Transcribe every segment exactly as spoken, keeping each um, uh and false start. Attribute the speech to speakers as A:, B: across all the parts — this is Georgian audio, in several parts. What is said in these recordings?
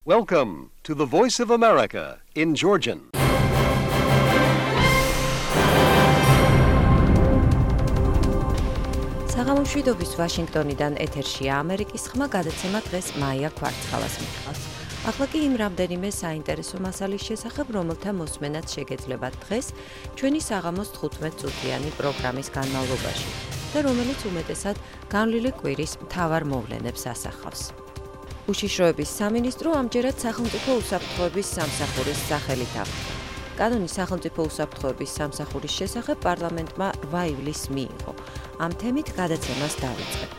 A: Welcome to the Voice of America in Georgian.
B: საღამომშვიდობის ვაშინგტონიდან ეთერშია ამერიკის ხმა გადაცემა დღეს მაია ქვარცხალას მიყვარს. ახლა კი იმ რამდენიმე საინტერესო მასალის შესახებ, რომელთა მოსმენაც შეგეძლებათ დღეს ჩვენი საღამოს თხუთმეტ წუთიანი პროგრამის განმავლობაში და რომელიც უმეტესად განვლილი კვირის მთავარ მოვლენებს ასახავს. უშიშროების სამინისტრო ამჯერად სახელმწიფო უსაფრთხოების სამსახურის სახელით აღდგა. კანონის სახელმწიფო უსაფრთხოების სამსახურის შესახებ პარლამენტმა რვა ივლისს მიიღო. ამ თემით გადაცემას დავიწყებთ.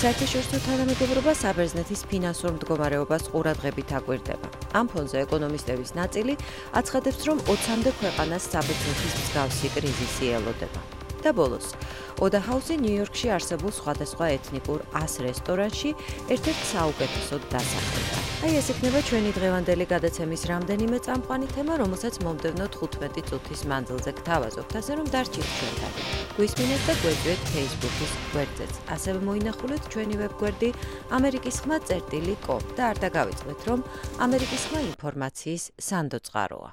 B: საერთაშორისო თანამეგობრობა საბერძნეთის ფინანსურ მდგომარეობას ყურადღებით აკვირდება. ამ ფონზე ეკონომისტების ნაწილი აცხადებს, რომ ოცამდე ქვეყანას საბერძნეთის მსგავსი კრიზისი ელოდება. და ბოლოს, ოდა ჰაუსი ნიუ-იორკში არსებულ სხვადასხვა ეთნიკურ ას რესტორანში ერთ-ერთ საუკეთესოდ დასახელდა. აი ეს იქნება ჩვენი დღევანდელი გადაცემის რამდენიმე წამყვანი თემა, რომელსაც მომდევნო თხუთმეტი წუთის მანძილზე გთავაზობთ, ასე რომ დარჩით ჩვენთან. გვისმინეთ და გვეძვეთ Facebook-ის გვერდზეც. ასევე მოინახულეთ ჩვენი ვებგვერდი ამერიკის ხმა წერტილი კომ და არ დაგავიწყდეთ, რომ ამერიკის ხმა ინფორმაციის სანდო წყაროა.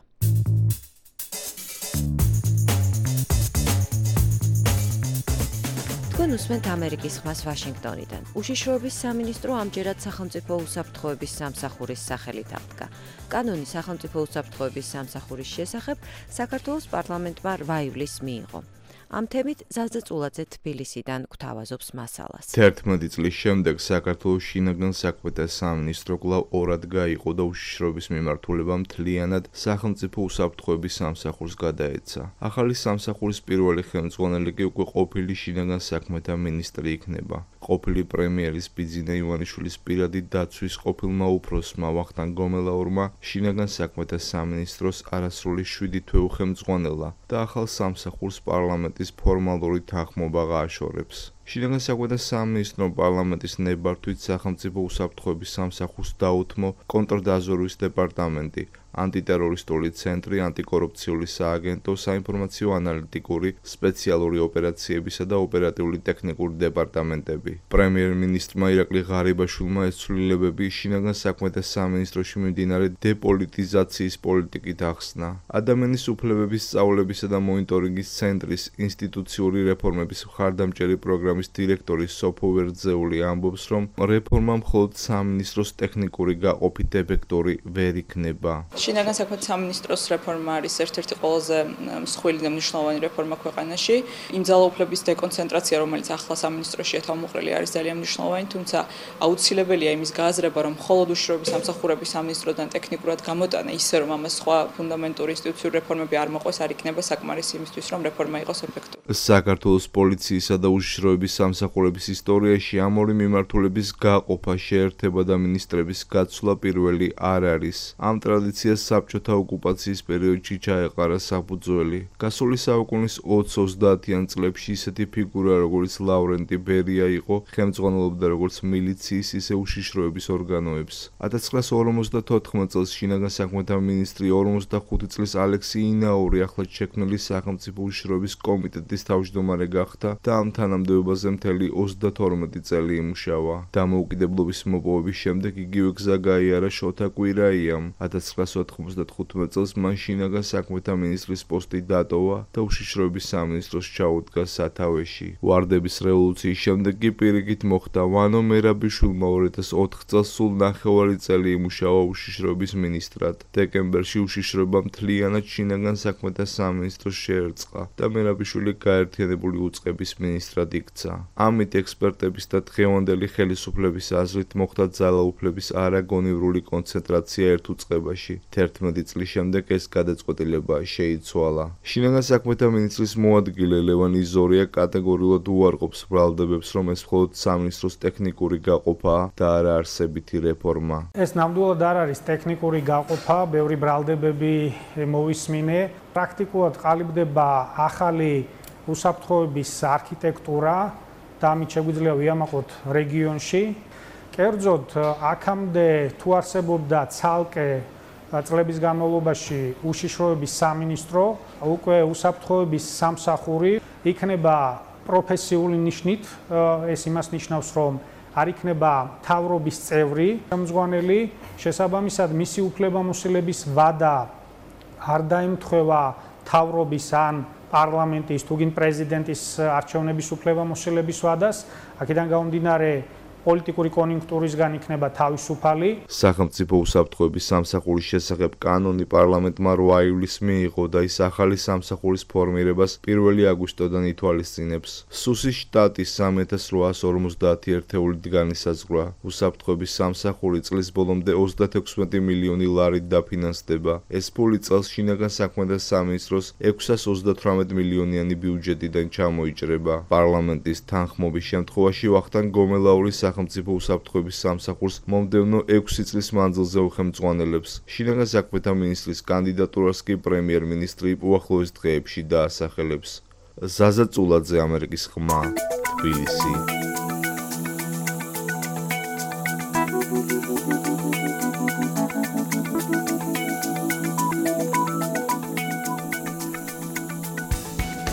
B: თქვენ უსმენთ ამერიკის ხმას ვაშინგტონიდან. უშიშროების სამინისტრო ამჯერად სახელმწიფო უსაფრთხოების სამსახურის სახელით აღდგა. კანონი სახელმწიფო უსაფრთხოების სამსახურის შესახებ საქართველოს პარლამენტმა რვა ივლისს მიიღო. ამ თემით ზაზა წულაძე თბილისიდან გვთავაზობს მასალას.
C: თერთმეტი წლის შემდეგ საქართველოს შინაგან საქმეთა სამინისტრო კვლავ ორად გაიყო და უშიშროების მიმართულებამ მთლიანად სახელმწიფო უსაფრთხოების სამსახურს გადაეცა. ახალი სამსახურის პირველი ხელმძღვანელი კი უკვე ყოფილი შინაგან საქმეთა მინისტრი იქნება. ყოფილი პრემიერის ბიძინა ივანიშვილის პირადი დაცვის ყოფილმა უფროსმა ვახტანგ გომელაურმა შინაგან საქმეთა სამინისტროს არასრული შვიდი თვე უხელმძღვანელა და ახალ სამსახურს პარლამენტის ფორმალური თანხმობა გააშორებს. შინაგან საქმეთა სამინისტრომ პარლამენტის ნებართვით სახელმწიფო უსაფრთხოების სამსახურს დაუთმო კონტრდაზვერვის დეპარტამენტი, ანტიტერორისტული ცენტრი, ანტიკორუფციული სააგენტო, საინფორმაციო ანალიტიკური, სპეციალური ოპერაციებისა და ოპერატიული ტექნიკური დეპარტამენტები. პრემიერ-მინისტრმა ირაკლი ღარიბაშვილმა ეს ცვლილებები შინაგან საქმეთა სამინისტროში მიმდინარე დეპოლიტიზაციის პოლიტიკით ახსნა. ადამიანის უფლებების სწავლებისა და მონიტორინგის ცენტრის ინსტიტუციური რეფორმების მხარდამჭერი პროგრამის დირექტორი სოფო ვერძეული ამბობს, რომ რეფორმა მხოლოდ სამინისტროს ტექნიკური გაყოფით ეფექტური ვერ იქნება.
D: შინაგან საქმეთა სამინისტროს რეფორმა არის ერთ-ერთი ყველაზე მსხვილი და მნიშვნელოვანი რეფორმა ქვეყანაში. იმ ძალაუფლების დეკონცენტრაცია, რომელიც ახლა სამინისტროშია თავმოყრილი, არის ძალიან მნიშვნელოვანი, თუმცა აუცილებელია იმის გააზრება, რომ მხოლოდ უშიშროების სამსახურების სამინისტროდან ტექნიკურად გამოტანა, ისე რომ ამას სხვა ფუნდამენტური ინსტიტუციური რეფორმები არ მოყვეს, არ იქნება საკმარისი იმისთვის, რომ რეფორმა იყოს ეფექტური.
C: საქართველოს პოლიციისა და უშიშროების სამსახურების ისტორიაში ამ ორი მიმართულების გაყოფა, შეერთება და მინისტრების გაცვლა პირველი არ არის. ამ ტრადიციას საბჭოთა ოკუპაციის პერიოდში ჩაეყარა საფუძველი. გასული საუკუნის ოცდაათიან წლებში ისეთი ფიგურა, როგორც ლავრენტი ბერია იყო, ხელმძღვანელობდა როგორც მილიციის, ისე უშიშროების ორგანოებს. ათას ცხრაას ორმოცდათოთხმეტ წელს შინაგან საქმეთა მინისტრი, ორმოცდახუთი წლის ალექსი ინაური ახლად შექმნილი სახელმწიფო უშიშროების კომიტეტის თავმჯდომარე გახდა და ამ თანამდებობაზე მთელი ოცდათორმეტი წელი იმუშავა. დამოუკიდებლობის მოპოვების შემდეგ იგივე გზა გაიარა შოთა კვირაიამ. ათას ცხრაას ოთხმოცდათხუთმეტ წელს მან შინაგან საქმეთა მინისტრის პოსტი დატოვა და უშიშროების სამინისტროს ჩაუდგა სათავეში. ვარდების რევოლუციის შემდეგ კი პირიქით მოხდა ვანო მერაბიშვილმა ორ ათას ოთხ წელს სულ ნახევარი წელი იმუშავა უშიშროების მინისტრად. დეკემბერში უშიშროება მთლიანად შინაგან საქმეთა სამინისტროს შეერწყა და მერაბიშვილი გაერთიანებული უწყების მინისტრად იქცა. ამით ექსპერტების და დღევანდელი ხელისუფლების აზრით მოხდა ძალაუფლების არაგონივრული კონცენტრაცია ერთ უწყებაში. თერთმეტი წლის შემდეგ ეს გადაწყვეტილება შეიცვალა. შინაგან საქმეთა მინისტრის მოადგილე ლევან იზორია კატეგორიულად უარყოფს ბრალდებებს, რომ ეს მხოლოდ სამინისტროს ტექნიკური გაყოფაა და არა არსებითი რეფორმა.
E: ეს ნამდვილად არ არის ტექნიკური გაყოფა, ბევრი ბრალდებები მოვისმინე. პრაქტიკულად ყალიბდება ახალი უსაფრთხოების არქიტექტურა და ამით შეგვიძლია ვიამაყოთ რეგიონში. კერძოდ, აქამდე თუ არსებობდა ცალკე წლების განმავლობაში უშიშროების სამინისტრო, უკვე უსაფრთხოების სამსახური იქნება პროფესიული ნიშნით. ეს იმას ნიშნავს, რომ არ იქნება მთავრობის წევრი ხელმძღვანელი, შესაბამისად მისი უფლებამოსილების ვადა არ დაემთხვევა მთავრობის ან პარლამენტის თუ გინ პრეზიდენტის არჩევნების უფლებამოსილების ვადას, აქედან გამომდინარე პოლიტიკური კონიუნქტურისგან იქნება თავისუფალი.
C: სახელმწიფო უსაფრთხოების სამსახურის შესახებ კანონი პარლამენტმა რვა ივლისს მიიღო და ის ახალი სამსახურის ფორმირებას პირველი აგვისტოდან ითვალისწინებს. სუსის შტატის სამი ათას რვაას ორმოცდაათი ერთეულით განისაზღვრა. უსაფრთხოების სამსახური წლის ბოლომდე ოცდათექვსმეტი მილიონი ლარით დაფინანსდება. ეს ფული წელს შინაგან საქმეთა სამინისტროს ექვსას ოცდათვრამეტ მილიონიანი ბიუჯეტიდან ჩამოიჭრება. პარლამენტის თანხმობის შემთხვევაში ვახტანგ გომელაური სახელმწიფო უსაფრთხოების სამსახურს მომდევნო ექვსი წლის მანძილზე უხელმძღვანელებს. შინაგან საქმეთა მინისტრის კანდიდატურას კი პრემიერ-მინისტრი უახლოეს დღეებში დაასახელებს. ზაზა წულაძე, ამერიკის ხმა, თბილისი.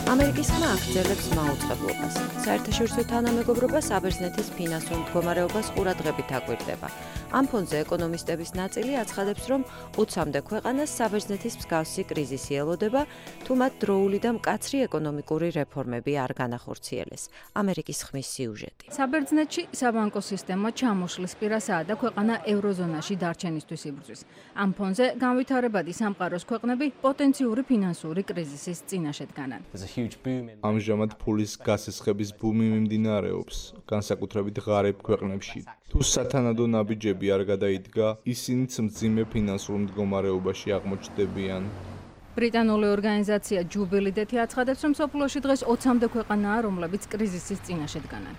B: ამერიკის ხმა აგრძელებს მაუწყებლობას. საერთაშორისო თანამეგობრობა საბერძნეთის ფინანსურ მდგომარეობას ყურადღებით აკვირდება. ამ ფონზე ეკონომისტების ნაწილი აცხადებს, რომ ოცამდე ქვეყანას საბერძნეთის მსგავსი კრიზისი ელოდება, თუ მათ დროული და მკაცრი ეკონომიკური რეფორმები არ განახორციელეს. ამერიკის ხმის სიუჟეტი.
F: საბერძნეთში საბანკო სისტემა ჩამოშლის პირასაა და ქვეყანა ევროზონაში დარჩენისთვის იბრძვის. ამ ფონზე განვითარებადი სამყაროს ქვეყნები პოტენციური ფინანსური კრიზისის წინაშე დგანან.
C: ამჟამად ფულის გასესხების ბუმი მიმდინარეობს, განსაკუთრებით ღარიბ ქვეყნებში. თუ სათანადო ნაბიჯები არ გადაიდგა, ისინიც მძიმე ფინანსურ მდგომარეობაში აღმოჩნდებიან.
F: ბრიტანული ორგანიზაცია ჯუბილიდეთი აცხადებს, რომ მსოფლიოში დღეს ოცამდე ქვეყანაა, რომლებიც კრიზისის წინაშე დგანან.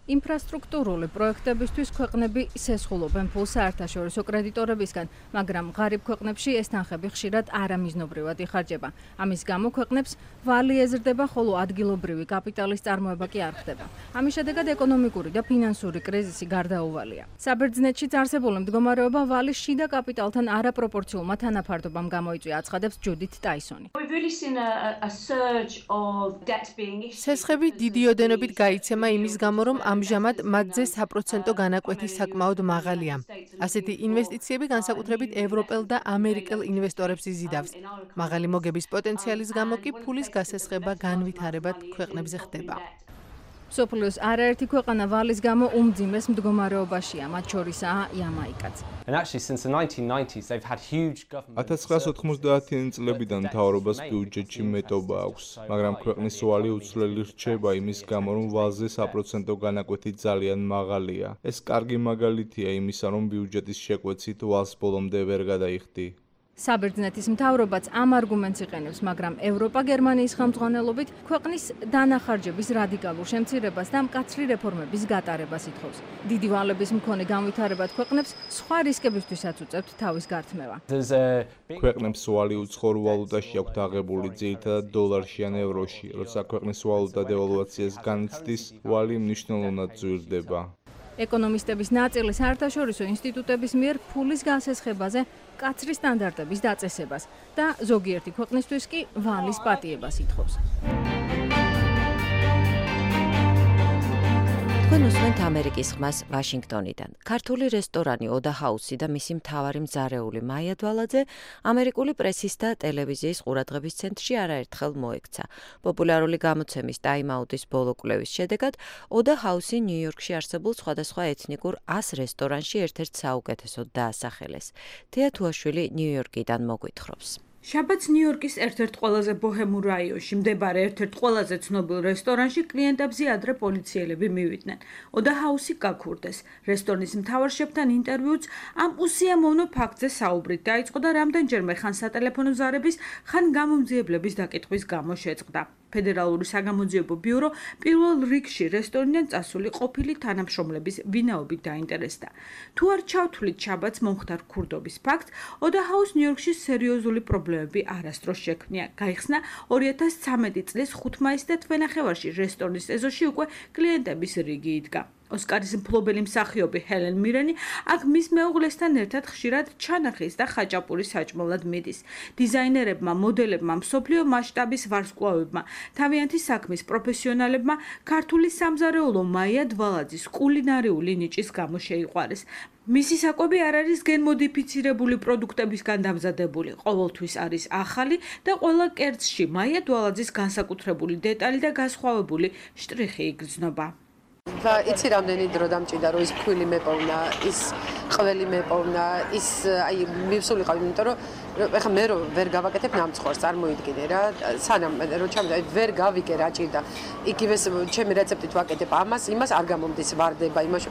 F: ინფრასტრუქტურული პროექტებისთვის ქვეყნები სესხულობენ ფულს საერთაშორისო კრედიტორებისგან, მაგრამ ღარიბ ქვეყნებში ეს თანხები ხშირად არამიზნობრივად იხარჯება. ამის გამო ქვეყნებს ვალი ეზრდება, ხოლო ადგილობრივი კაპიტალის წარმოება კი არ ხდება. ამის შედეგად ეკონომიკური და ფინანსური კრიზისი გარდაუვალია. საბერძნეთშიც არსებული მდგომარეობა ვალის შიდა კაპიტალთან არაპროპორციულმა თანაფარდობამ გამოიწვია, აცხადებს ჯუდით ტაისონი.
G: სესხები დიდი ოდენობით გაიცემა იმის გამო, რომ ამჟამად მათზე საპროცენტო განაკვეთი საკმაოდ მაღალია. ასეთი ინვესტიციები განსაკუთრებით ევროპელ და ამერიკელ ინვესტორებს იზიდავს. მაღალი მოგების პოტენციალის გამო კი ფულის გასესხება განვითარებად ქვეყნებზე ხდება.
F: მსოფლიოს არაერთი ქვეყანა ვალის გამო უმძიმეს მდგომარეობაშია, მათ შორისაა იამაიკაც.
C: ათას ცხრაას ოთხმოცდაათიანი წლებიდან მთავრობას ბიუჯეტში მეტობა აქვს, მაგრამ ქვეყნის ვალი უცვლელი რჩება იმის გამო, რომ ვალზე საპროცენტო განაკვეთი ძალიან მაღალია. ეს კარგი მაგალითია იმისა, რომ ბიუჯეტის შეკვეცით ვალს ბოლომდე ვერ გადაიხდი.
F: საბერძნეთის მთავრობაც ამ არგუმენტს იყენებს, მაგრამ ევროპა გერმანიის ხელმძღვანელობით ქვეყნის დანახარჯების რადიკალურ შემცირებას და მკაცრი რეფორმების გატარებას ითხოვს. დიდი ვალების მქონე განვითარებად ქვეყნებს სხვა რისკებისთვისაც უწევთ თავის გართმევა.
C: ქვეყნებს ვალი უცხოურ ვალუტაში აქვთ აღებული, ძირითადად დოლარში ან ევროში. როცა ქვეყნის ვალუტა დევალვაციას განიცდის, ვალი მნიშვნელოვნად ძვირდება.
F: ეკონომისტების ნაწილი საერთაშორისო ინსტიტუტების მიერ ფულის გასესხებაზე მკაცრი სტანდარტების დაწესებას და ზოგიერთი ქვეყნისთვის კი ვალის პატიებას ითხოვს.
B: თქვენ უსმენთ ამერიკის ხმას ვაშინგტონიდან. ქართული რესტორანი ოდა ჰაუსი და მისი მთავარი მძარეული მაია დვალაძე ამერიკული პრესის და ტელევიზიის ყურადღების ცენტრში არაერთხელ მოექცა. პოპულარული გამოცემის Time Out-ის ბოლო კვლევის შედეგად ოდა ჰაუსი ნიუ-იორკში არსებულ სხვადასხვა ეთნიკურ ას რესტორანში ერთ-ერთ საუკეთესოდ დაასახელეს. თეა თუაშვილი ნიუ-იორკიდან მოგვითხრობს.
H: შაბათს ნიუ-იორკის ერთ-ერთ ყველაზე ბოჰემურ რაიონში მდებარე ერთ-ერთ ყველაზე ცნობილ რესტორანში კლიენტებზე ადრე პოლიციელები მივიდნენ. ოდა ჰაუსი გაქურდეს. რესტორნის მთავარ შეფთან ინტერვიუც ამ უსიამოვნო ფაქტზე საუბრით დაიწყო და რამდენჯერმე ხან სატელეფონო ზარების, ხან გამომძიებლების დაკითხვის გამო შეწყდა. ფედერალური საგამოძიებო ბიურო პირველ რიგში რესტორნიდან წასული ყოფილი თანამშრომლების ვინაობით დაინტერესდა. თუ არ ჩავთვლით შაბათს მომხდარ ქურდობის ფაქტს, ოდა ჰაუს ნიუ-იორკში სერიოზული პრობლემები არასდროს შექმნია. გაიხსნა ორი ათას ცხრამეტი წლის ხუთ მაისს და თვენახევარში რესტორნის ეზოში უკვე კლიენტების რიგი იდგა. ოსკარის მფლობელი მსახიობი ჰელენ მირენი აქ მის მეუღლესთან ერთად ხშირად ჩანახის და ხაჭაპურის საჭმელად მიდის. დიზაინერებმა, მოდელებმა, მსოფლიო მასშტაბის ვარსკვლავებმა, თავიანთი საქმის პროფესიონალებმა ქართული სამზარეულო მაია დვალაძის კულინარიული ნიჭის გამო შეიყვარეს. მისი საკვები არ არის გენმოდიფიცირებული პროდუქტებისგან დამზადებული, ყოველთვის არის ახალი და ყველა კერძში მაია დვალაძის განსაკუთრებული დეტალი და განსხვავებული შტრიხი იგრძნობა.
I: და იცი რამდენი დრო დამჭირდა რომ ის ფქვილი მეპოვნა, ის ყველი მეპოვნა, ის აი მივსულიყავ, იმიტომ რომ ეხლა მე რო ვერ გავაკეთებ ნამცხვარს, წარმოიდგინე რა, სანამ რო ჩამდა ვერ გავიგე რა ჭირდა. იგივე ჩემი რეცეპტით ვაკეთებ ამას, იმას არ გამომდის ვარდება, იმაში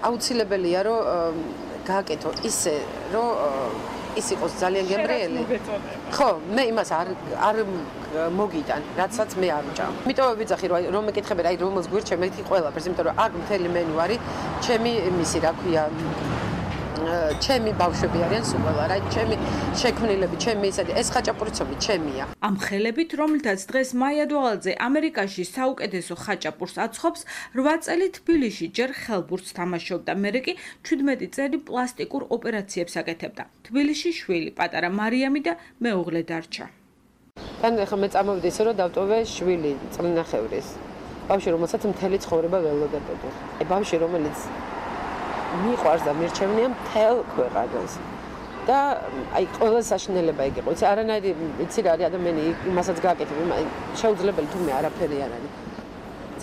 I: აუცილებელია რომ გააკეთო ისე რომ ის იყოს ძალიან გემრიელი. ხო, მე იმას არ არ მოგიტან, რაცაც მე არ ვჭამ. იმიტომ ვიძახი რომ რომ მეკითხები რა, რომელს გვირჩე მეთი ყველაფერს, იმიტომ რომ აქ მთელი მენუ არის, ჩემი იმისი რა ქვია, ჩემი ბავშვები არიან სულ ყველა რა, ჩემი შექმნილები, ჩემი ისეთი, ეს ხაჭაპურიცომი ჩემია.
H: ამ ხელებით, რომლითაც დღეს მაია დვალაძე ამერიკაში საუკეთესო ხაჭაპურს აცხობს, რვა წელი თბილისში ჯერ ხელბურთს თამაშობდა, მერე კი ჩვიდმეტი წელი პლასტიკურ ოპერაციებს აკეთებდა. თბილისში შვილი, პატარა მარიამი და მეუღლე დარჩა.
I: თან ახლა მე წამოვიდი ისე რომ დავტოვე შვილი წლნახევრის. ბავშვი რომელსაც მთელი ცხოვრება ველოდებოდი. აი ბავშვი რომელიც მიყვარს და მირჩევნია მთელ ქვეყანას. და აი ყველა საშინელება ეგ იყო. იცი არანაირი იცი რა არის ადამიანი იმასაც გააკეთებ, შეუძლებელი თუ მე არაფერი არ არის.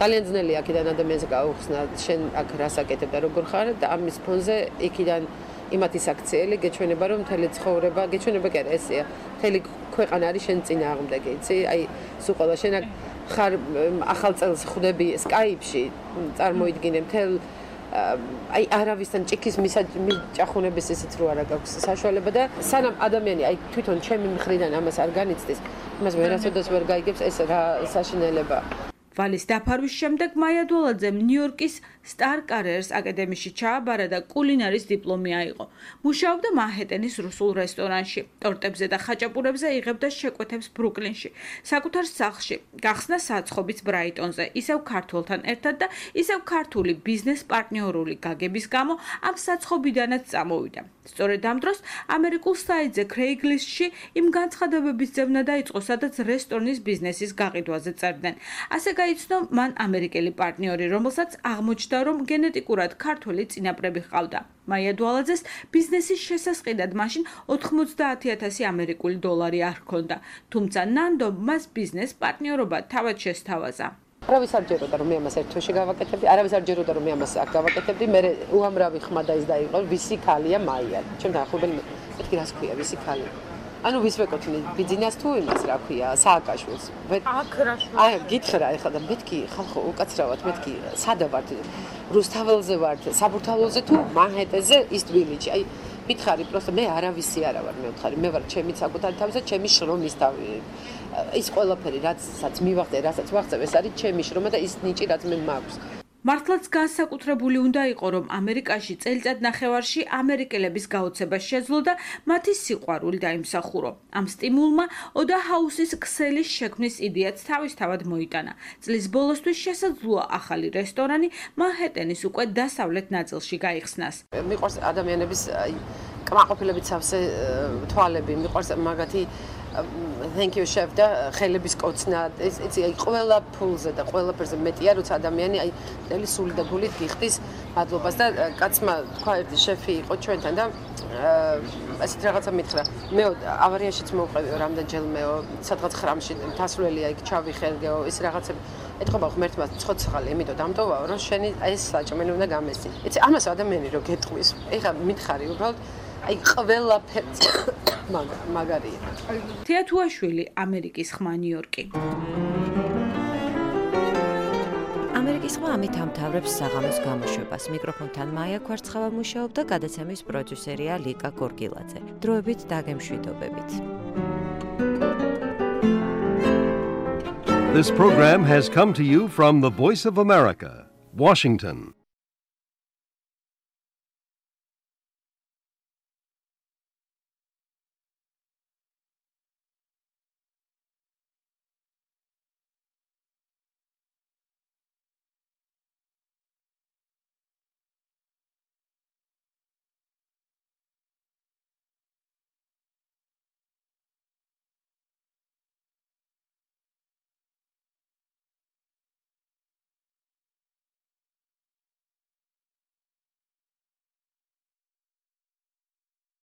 I: ძალიან ძნელია აქედან ადამიანს გაუხსნა, შენ აქ რას აკეთებ და როგორ ხარ და ამის ფონზე იქიდან იმათი საქციელი გეჩვენება რომ მთელი ცხოვრება, გეჩვენება კი არა ესეა. მთელი ქვეყანა არის შენ წინააღმდეგი, იცი? აი სულ ყველა შენ აქ ხარ ახალ წელს ხვდები Skype-ში, წარმოიდგინე მთელ აი არავისთან ჭიქის მიჭახუნების ისიც რო არა გაქვს საშუალება და სანამ ადამიანი აი თვითონ ჩემი მხრიდან ამას არ განიცდის, იმას ვერასოდეს ვერ გაიგებს ეს რა საშინელება.
H: ვალის დაფარვის შემდეგ მაია დვალაძემ ნიუ-იორკის სტარ კარიერს აკადემიაში ჩააბარა და კულინარის დიპლომი აიღო. მუშაობდა მანჰეტენის რუსულ რესტორანში, ტორტებზე და ხაჭაპურებზე იღებდა შეკვეთებს ბრუკლინში, საკუთარ სახლში, გახსნა საცხობიც ბრაიტონზე, ისევ ქართველთან ერთად და ისევ ქართული ბიზნეს პარტნიორული გაგების გამო ამ საცხობიდანაც წამოვიდა. სწორედ ამ დროს ამერიკულ საიტზე Craigslist-ში იმ განცხადებების ძებნა დაიწყო, სადაც რესტორნის ბიზნესის გაყიდვაზე წერდნენ. ასე გაიცნო მან ამერიკელი პარტნიორი, რომელსაც აღმოჩნდა, რომ გენეტიკურად ქართველი წინაპრები ჰყავდა. მაია დვალაძეს ბიზნესის შესასყიდად მაშინ ოთხმოცდაათი ათასი ამერიკული დოლარი არ ჰქონდა, თუმცა ნანდომ მას ბიზნეს პარტნიორობა თავად შესთავაზა.
I: არავის არ ჯეროდა რომ მე ამას ერთ თვეში გავაკეთებდი, არავის არ ჯეროდა რომ მე ამას აქ გავაკეთებდი, მე უამრავი ხმა და ის დაიყო, ვისი ქალია მაია. ჩემ დაახლოებული მეთქი რას ქვია ვისი ქალი. ანუ ვის ვეკუთვნი ბიძინას თუ იმას რა ქვია, სააკაშვილს.
H: აქ რა შუა.
I: აი, გითხრა ეხლა და მეთქი ხალხო უკაცრავად მეთქი სადა ვართ? რუსთაველზე ვართ, საბურთალოზე თუ მანჰეტენზე ის თბილისში. აი, მითხარი, პროსტო მე არავისი არა ვარ, მე ვთხარი, მე ვარ ჩემი საკუთარი თავი და ჩემი შრომის თავი. ის ყველაფერი რაცაც მივახდე, რასაც ვახცევ, ეს არის ჩემი შრომა და ის ნიჭი რაც მე მაქვს.
H: მართლაც განსაკუთრებული უნდა იყო, რომ ამერიკაში წელიწად ნახევარში ამერიკელების გაოცება შეძლო და მათი სიყვარული დაიმსახურო. ამ სტიმულმა ოდა ჰაუსის ქსელის შექმნის იდეაც თავისთავად მოიტანა. წლის ბოლოსთვის შესაძლოა ახალი რესტორანი მანჰეტენის უკვე დასავლეთ ნაწილში გაიხსნას.
I: მიყვარს ადამიანების კმაყოფილებით სავსე თვალები, მიყვარს მაგათი thank you chef და ხელების კოცნა იცი აი ყველა ფულზე და ყველაფერზე მეტია როცა ადამიანი აი მთელი სული და გულით გიხდის მადლობას და კაცმა თქვა ერთი შეფი იყო ჩვენთან და ესეთ რაღაცა მითხრა მე ავარიაშიც მოვყევიო რამდენჯერმეო სადღაც ხრამში თასვლელია იქ ჩავიხერგეო ეს რაღაცები ეთქობა ღმერთმა ცოცხალი იმიტომ დამტოვაო რომ შენი აი ეს საჭმელი უნდა გამესცი იცი ამას ადამიანი რო გეტყვის ეხლა მითხარი უბრალოდ აი ყველაფერს მაგარია.
H: თეათუაშვილი, ამერიკის ხმა ნიუ-იორკი.
B: ამერიკის ხმა ამით ამთავრებს საღამოს გამოშვებას. მიკროფონთან მაია კვარცხავა მუშაობდა, გადაცემის პროდიუსერია ლიკა გორგილაძე. დროებით დაგემშვიდობებით.
A: This program has come to you from the Voice of America, Washington.